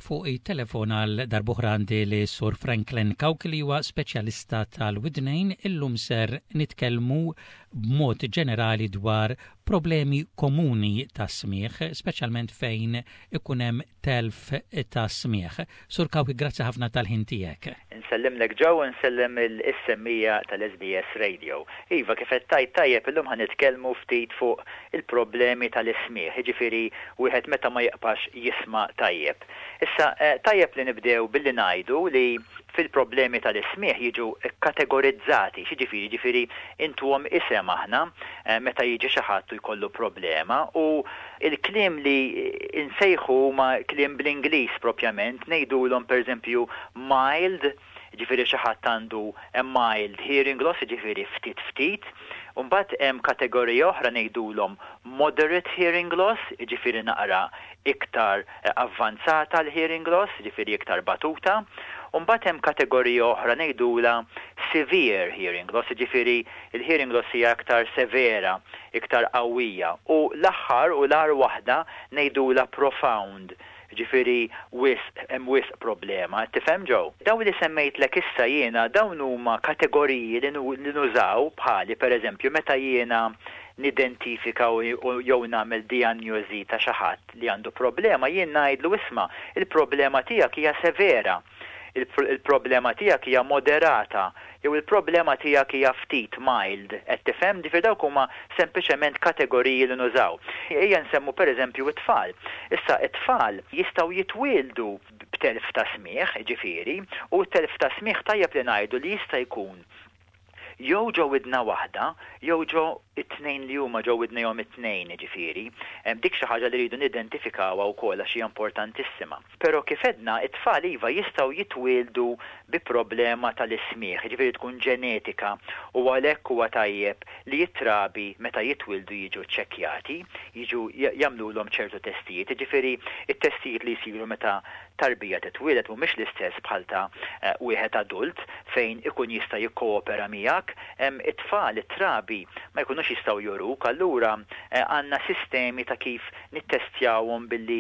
Fuq it-telefon għal darb'oħra għandi li Sur Franklin Cauchi li huwa speċjalista tal-widnejn. Illum ser nitkellmu b'mod ġenerali dwar problemi komuni ta' smigħ, speċjalment fejn ikun hemm telf ta' smigħ. Sur Cauchi, grazzi ħafna tal-ħin tiegħek. Insellimlek Joe u nsellem is-semmiegħa tal-SBS Radio. Iva, kif qed tgħid tajjeb illum ħa nitkellmu ftit fuq il-problemi tal-ismigħ, jiġifieri wieħed meta ma jibqax jisma' tajjeb. Issa, tajjeb li nibdew billi ngħidu li fil-problemi tal-ismigħ jiġu kkategorizzati, x'jiġifieri? Jiġifieri intuhom isem aħna meta jiġi xi ħadd u jkollu problema u l-kliem li nsejħu huma kliem bl-Ingliż propjament, ngħidulhom pereżempju mild, jiġifieri xi ħadd għandu a mild hearing loss, jiġifieri ftit ftit, u mbagħad hemm kategorija oħra ngħidulhom moderate hearing loss, jiġifieri naqra iktar avvanzata l-hearing loss, jiġifieri iktar batuta, u mbagħad hemm kategorija oħra ngħidulha severe hearing loss, jiġifieri l-hearing loss hija iktar severa, iktar qawwija, u l-aħħar u l-agħar waħda ngħidulha profound, jiġifieri wisq, hemm wisq problema, qed tifhem Joe? Dawn li semmejtlek issa jiena dawn huma kategoriji li nużaw bħali pereżempju meta jiena nidentifika jew nagħmel dijanjosi ta' xi ħadd li għandu problema, jien ngħidlu isma' il-problema tiegħek hija severa, il-problema tiegħek hija moderata, jew il-problema tiegħek hija ftit mild, qed tifhem? Ġifieri dawk huma sempliċement kategoriji li nużaw. Ejja nsemmu pereżempju t-tfal. Issa t-tfal jistgħu jitwieldu b'telf ta' smigħ, ġifieri, u t-telf ta' smigħ tajjeb li ngħidu li jista' jkun jew ġo widna waħda, jew ġo it-tnejn li huma ġo widnejhom it-tnejn, jiġifieri. Dik xi ħaġa li rridu nidentifikawha wkoll għax hija importantissima. Però kif għedna, it-tfal iva jistgħu jitwieldu bi problema tal-ismigħ, jiġifieri tkun ġenetika u għalhekk huwa tajjeb li t-trabi meta jitwieldu jiġu ċċekkjati, jiġu jagħmlulhom ċertu testijiet, jiġifieri t-testijiet li jsiru meta tarbija titwieled mhumiex l-istess bħal ta' wieħed adult fejn ikun jista' jikkoopera miegħek. It-tfal, it-trabi, ma jkunux jistgħu juruk, allura għandna sistemi ta' kif nittestjawhom billi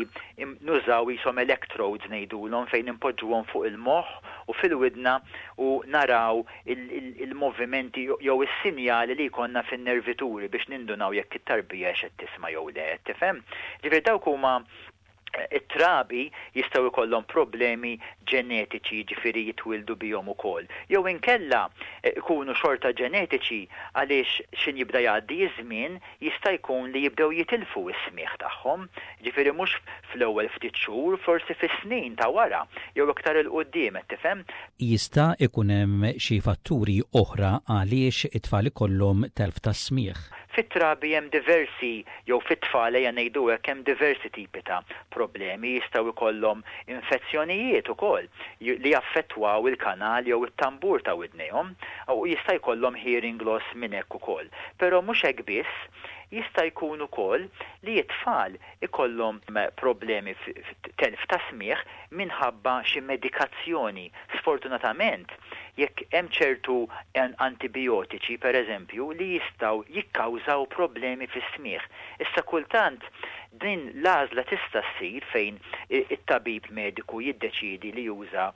nużaw qishom electrodes ngħidulhom fejn inpoġġuhom fuq il-moħħ u fil-widna u naraw il-movimenti jew is-sinjali li jkollna fin-nervituri biex nindunaw jekk it-tarbija hix qed tisma' jew le, tifhem? Ġifieri dawk huma it-trabi jistgħu jkollhom problemi ġenetiċi, jiġifieri jitwieldu bihom ukoll. Jew inkella ikunu xorta ġenetiċi għaliex x'in jibda jgħaddi ż-żmien jista' jkun li jibdew jitilfu s-smigħ tagħhom. Jiġifieri mhux fl-ewwel ftit xhur, forsi fis-snin ta' wara jew iktar 'il quddiem, qed tifhem? Jista' ikun hemm xi fatturi oħra għaliex it-tfal ikollhom telf tas-smigħ? Fit-trabi hemm diversi jew fit-tfal ejja ngħidu hekk hemm diversi tipi ta' problemi, jistgħu jkollhom infezzjonijiet ukoll li jaffettwaw il-kanal jew it-tambur ta' widnejhom u jista' jkollhom hearing loss minn hekk ukoll. Però mhux hekk biss, jista' jkun ukoll li t-tfal ikollhom problemi telf ta' smigħ minħabba xi medikazzjoni. Sfortunatament, jekk hemm ċertu antibijotiċi, pereżempju, li jistgħu jikkawżaw problemi fis-smigħ. Issa kultant din l-għażla tista' ssir fejn it-tabib mediku jiddeċiedi li juża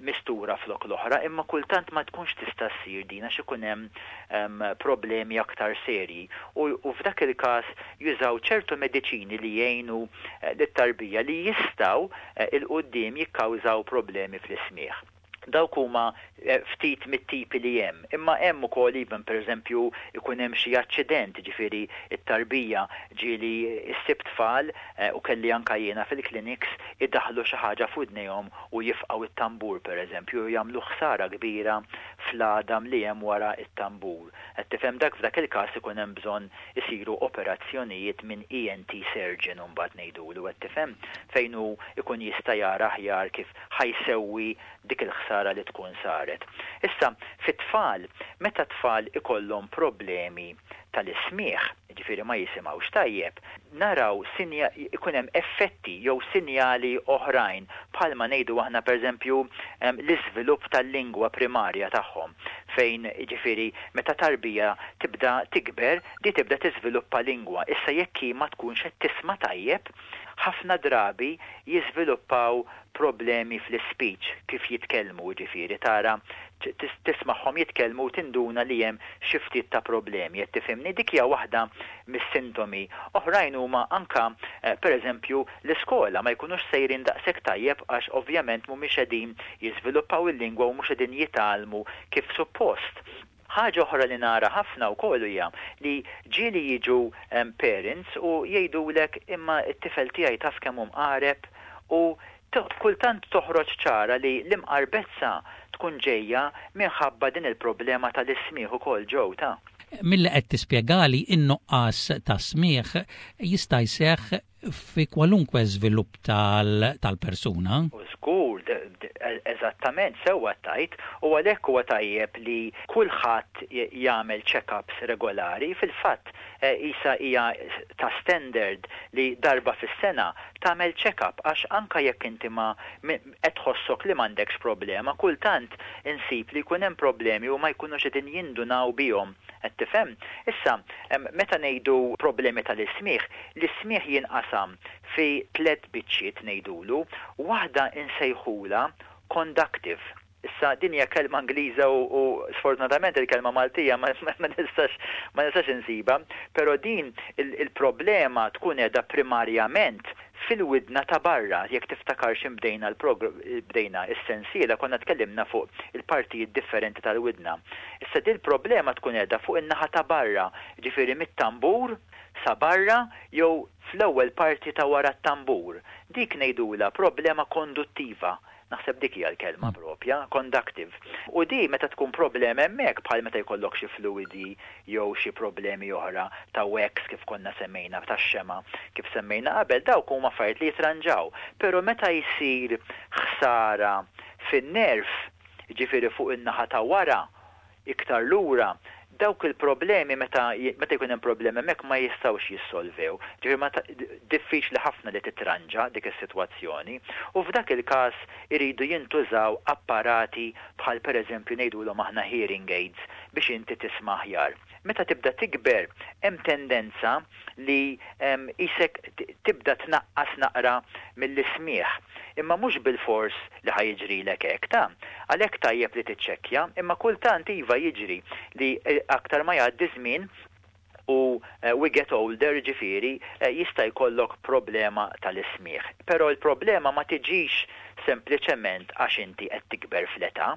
mistura flok l-oħra, imma kultant ma tkunx tista' ssir din għax ikun hemm problemi aktar serji u f'dak il-każ jużaw ċertu mediċini li jgħinu lit-tarbija li jistgħu 'il quddiem jikkawżaw problemi fl-ismigħ. Dawk huma ftit mit-tipi li hemm. Imma hemm ukoll even pereżempju jkun hemm xi aċċident, jiġifieri t-tarbija ġieli ssib tfal u kelli anke jiena fil-clinics idaħħlu xi ħaġa f'widnejhom u jifqgħu t-tambur pereżempju u jagħmlu ħsara kbira fl-għadam li hemm wara t-tambur. Qed tifhem dak f'dak il-każ ikun hemm bżonn isiru operazzjonijiet minn ENT surgeon imbagħad ngħidulu qed tifhem fejn hu jkun jista' jara aħjar kif ħa jsewwi dik il-ħsara li tkun saret. Issa, fit-tfal, meta t-tfal ikollhom problemi tal-ismigħ, jiġifieri ma jisimgħux tajjeb, naraw ikun hemm effetti jew sinjali oħrajn bħalma ngħidu aħna pereżempju l-iżvilupp tal-lingwa primarja tagħhom fejn jiġifieri meta tarbija tibda tikber, di tibda tiżviluppa lingwa. Issa jekk hi ma tkunx qed tisma' tajjeb, Ħafna drabi jiżviluppaw problemi fl-ispeech, kif jitkellmu, jiġifieri tara tismagħhom jitkellmu u tinduna li hemm xi ftit ta' problemi, qed tifhimni? Dik hija waħda mis-sintomi. Oħrajn huma anke pereżempju l-iskola ma jkunux sejrin daqshekk tajjeb għax ovvjament mhumiex qegħdin jiżviluppaw il-lingwa u mhux qegħdin jitgħallmu kif suppost. Ħaġa oħra li nara ħafna wkoll hija li ġieli jiġu parents u jgħidulek imma t-tifel tiegħi taf kemm hu mqareb u kultant toħroġ ċara li l-imqarbezza tkun ġejja minħabba din il-problema tal-ismigħ ukoll Joe ta. Milli qed tispjegali in-nuqqas ta' smigħ jista' jseħħ fi kwalunkwe żvilupp tal-persuna. Żgur, eżattament, sewwa tgħid, u għalhekk huwa tajjeb li kulħadd jagħmel check-ups regolari. Fil-fatt, qisha hija ta' standard li darba fis-sena tagħmel check-up għax anke jekk inti ma qed tħossok li m'għandekx problema, kultant insib li jkun hemm problemi u ma jkunux qegħdin jindunaw bihom. Qed tifhem? Issa, meta ngħidu problemi tal-ismigħ, l-ismigħ jinqasam fi tlett biċċiet ngħidulu, waħda insejħulha conductive. Issa din hija kelma Ingliża u sfortunatament il-kelma Maltija ma nistax ma nistax insibha, però din il-problema tkun qiegħda primarjament fil-widna ta' barra, jekk tiftakar x'in bdejna bdejna s-sensiela konna tkellimna fuq il-partijiet differenti tal-widna. Issa dil-problema tkun qiegħda fuq in-naħa ta' barra, jiġifieri mit-tambur sa barra jew fl-ewwel parti ta' wara t-tambur. Dik ngħidulha problema konduttiva. Naħseb dik hija l-kelma propja, conductive. U di meta tkun problema hemmhekk bħal meta jkollok xi fluwidi jew xi problemi oħra ta' wax kif konna semmejna, tax-xema' kif semmejna qabel, dawk huma affarijiet li jitranġaw. Però meta jsir ħsara fin-nerv, jiġifieri fuq in-naħa ta' wara, iktar lura, dawk il-problemi meta meta jkun hemm problemi hemmhekk ma jistgħux jissolvew. Ġifieri ma diffiċli ħafna li titranġa dik is-sitwazzjoni. U f'dak il-każ iridu jintużaw apparati bħal pereżempju ngħidulhom aħna hearing aids biex inti tisma' aħjar. Meta tibda tikber hemm tendenza li qisek tibda tnaqqas naqra mill-ismigħ. Imma mhux bilfors li ħa jiġrilek hekk, ta. Għalhekk tajjeb li tiċċekkja, imma kultant iva jiġri li aktar ma jgħaddi żmien u we get older jiġifieri jista' jkollok problema tal-ismigħ. Però l-problema ma tiġix sempliċement għax inti qed tikber fl-età.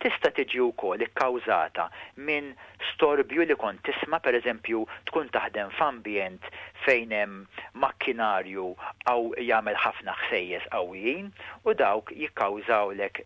Tista' tiġi wkoll ikkawżata minn storbju li kont tisma', pereżempju tkun taħdem f'ambjent fejn hemm makkinarju aw jagħmel ħafna ħsejjes qawwijin u dawk jikkawżawlek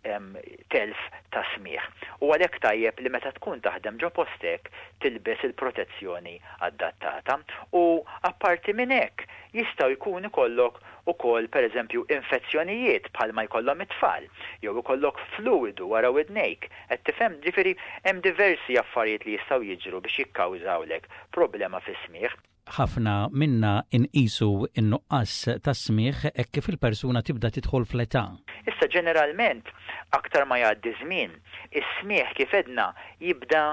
telf ta' smigħ. U għalhekk tajjeb li meta tkun taħdem ġo post hekk tilbes il-protezzjoni adattata. U apparti minn hekk jistgħu jkun ikollok ukoll pereżempju infezzjonijiet bħalma jkollhom it-tfal, jew ikollok fluwidu wara widnejk, qed tifhem? Ġifieri hemm diversi affarijiet li jistgħu jiġru biex jikkawżawlek problema fis-smigħ. Ħafna minna nqisu n-nuqqas ta' smigħ hekk kif il-persuna tibda tidħol fl-età. Issa ġeneralment aktar ma jgħaddi żmien, is-smigħ kif għedna jibda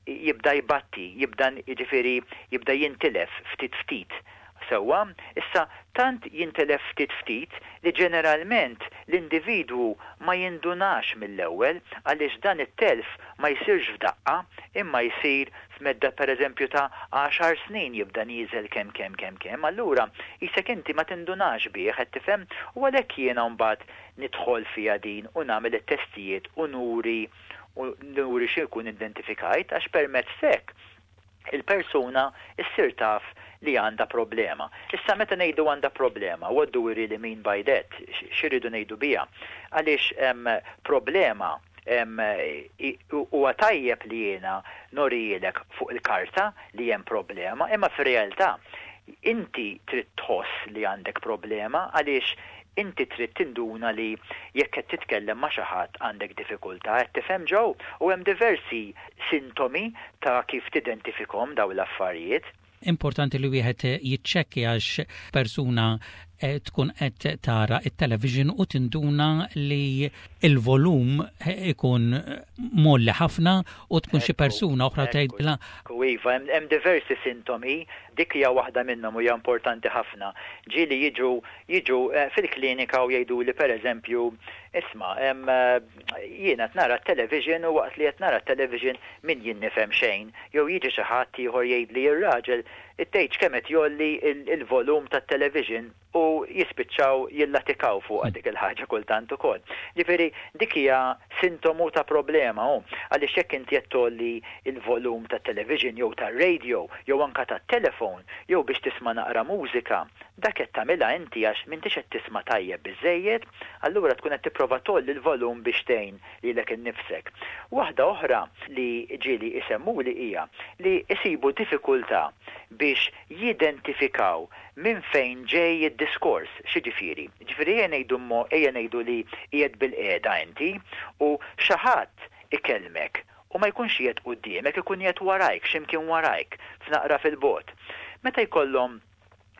jibda jbatti, jibda jiġifieri jibda jintilef ftit ftit. Sewwa? Issa, tant jintilef ftit ftit li ġeneralment l-individwu ma jindunax mill-ewwel għaliex dan it-telf ma jsirx f'daqqa imma jsir f'medda pereżempju ta' għaxar snin jibda nieżel kemm kemm kemm kemm. Allura qisek inti ma tindunax bih, qed tifhem? U għalhekk jiena mbagħad nidħol fiha din u nagħmel it-testijiet u nuri u nuri xi jkun identifikajt għax permezz t'hekk il-persuna ssir taf li għandha problema. Issa meta ngħidu għandha problema, what do we really mean by that? X'irridu ngħidu biha? Għaliex problema huwa tajjeb li jiena norijielek fuq il-karta li hemm problema, imma fir-realtà inti trid tħoss li għandek problema għaliex Inti trid tinduna li jekk qed titkellem ma' xi ħadd għandek diffikultà, qed tifhem Joe? U hemm diversi sintomi ta' kif tidentifikhom dawn l-affarijiet. Importanti li wieħed jiċċekkja għax persuna tkun qed tara it-television u tinduna li il-volum ikun mgħolli ħafna u tkun xi persuna oħra tgħidilha. Iva, hemm diversi sintomi, dik hija waħda minnhom u hija importanti ħafna. Ġieli jiġu jiġu fil-klinika u jgħiduli pereżempju, isma' jiena qed nara t-television u waqt li qed nara t-television min jien nifhem xejn, jew jiġi xi ħadd ieħor jgħidli r-raġel tgħidx kemm qed jgħolli l-volum tat-television u jispiċċaw jillatikaw fuqha dik il-ħaġa kultant ukoll. Ġifieri dik hija sintomu ta' problema hu, għaliex jekk inti qed tgħolli l-volum tat-television jew tar-radio jew anke tat-telefon jew biex tisma' naqra mużika, dak qed tagħmilha inti għax m'intix qed tisma' tajjeb biżżejjed, allura tkun qed tipprova tgħolli l-volum biex tgħin lilek innifsek. Waħda oħra li ġieli isemmuli hija li jsibu diffikultà biex jidentifikaw minn fejn ġej id-diskors. X'jiġifieri? Jiġifieri ejja ngħidu ejja ngħidu li qiegħed bilqiegħda inti u xi ħadd ikellmek u ma jkunx qiegħed quddiemek, ikun qiegħed warajk, xi mkien warajk, f'naqra fil-bogħod. Meta jkollhom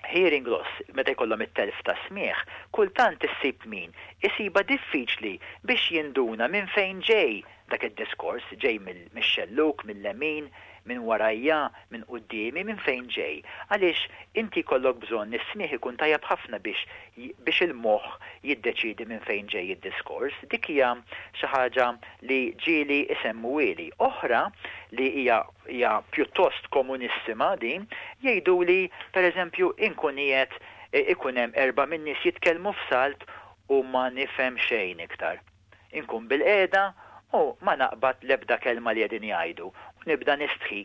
hearing loss, meta jkollhom it-telf ta' smigħ, kultant issib min isibha diffiċli biex jinduna minn fejn ġej dak id-diskors, ġej mix-xellug, mil-lemin, minn warajja, minn quddiemi, minn fejn ġej. Għaliex inti jkollok bżonn is-smigħ ikun tajjeb ħafna biex biex il-moħħ jiddeċiedi minn fejn ġej id-diskors. Dik hija xi ħaġa li ġieli isemmuhieli. Oħra li hija hija pjuttost komunissima din, jgħiduli pereżempju inkun qiegħed ikun hemm erbgħa min-nies jitkellmu f'salt u ma nifhem xejn iktar. Inkun bilqiegħda u ma naqbad l-ebda kelma li qegħdin jgħidu u nibda nistħi.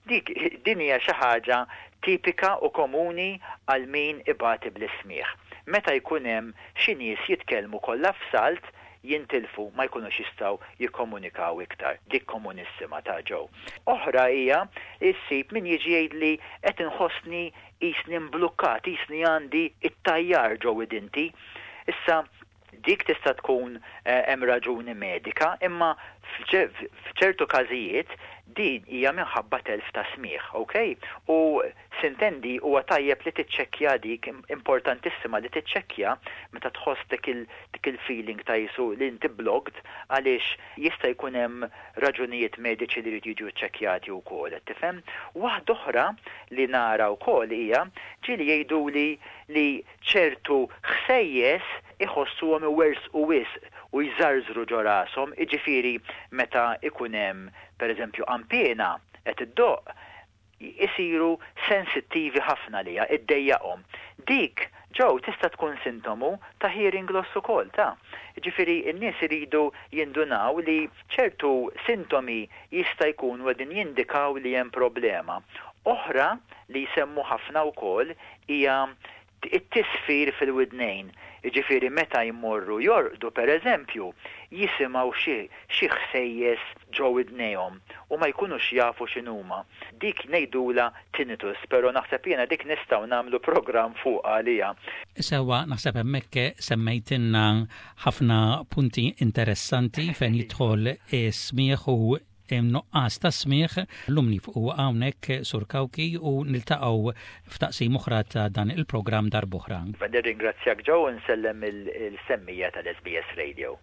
Dik din hija xi ħaġa tipika u komuni għal min ibati bl-ismigħ. Meta jkun hemm xi nies jitkellmu kollha f'salt, jintilfu, ma jkunux jistgħu jikkomunikaw iktar. Dik komunissima ta' Joe. Oħra hija li ssib min jiġi jgħidli qed inħossni qisni mblukkat, qisni għandi t-tajjar ġo widinti. Issa, dik tista' tkun hemm raġuni medika, imma f'ċertu każijiet din hija minħabba telf ta' smigħ, ok? U Sintendi huwa tajjeb li tiċċekkja dik, importantissima li tiċċekkja meta tħoss dik il dik il-feeling ta' qisu li inti blocked għaliex jista' jkun hemm raġunijiet mediċi li jridu jiġu ċċekkjati wkoll, qed tifhem? Waħda oħra li nara wkoll hija ġieli jgħiduli li ċertu ħsejjes iħossuhom iwerżqu wisq u jżarżru ġo rashom, jiġifieri meta jkun hemm pereżempju qanpiena qed iddoqq, isiru sensittivi ħafna għaliha, iddejjaqhom. Dik, Joe, tista' tkun sintomu ta' hearing loss ukoll, ta. Jiġifieri n-nies iridu jindunaw li ċertu sintomi jista' jkunu qegħdin jindikaw li hemm problema. Oħra li jsemmu ħafna wkoll hija it-tisfir fil-widnejn, jiġifieri meta jmorru jorqdu pereżempju, jisimgħu xi xi ħsejjes ġo widnejhom u ma jkunux jafu x'inhuma. Dik ngħidulha tinnitus, però naħseb jiena dik nistgħu nagħmlu programm fuqha għaliha. Sewwa, naħseb hemmhekk semmejtilna ħafna punti interessanti fejn jidħol is-smigħ u nuqqas ta' smigħ. Llum nifqu hawnhekk Sur Cauchi u niltaqgħu f'taqsim oħra ta' dan il-programm darb'oħra. Nirringrazzjak Joe u nsellem il-semmija tal-SBS Radio.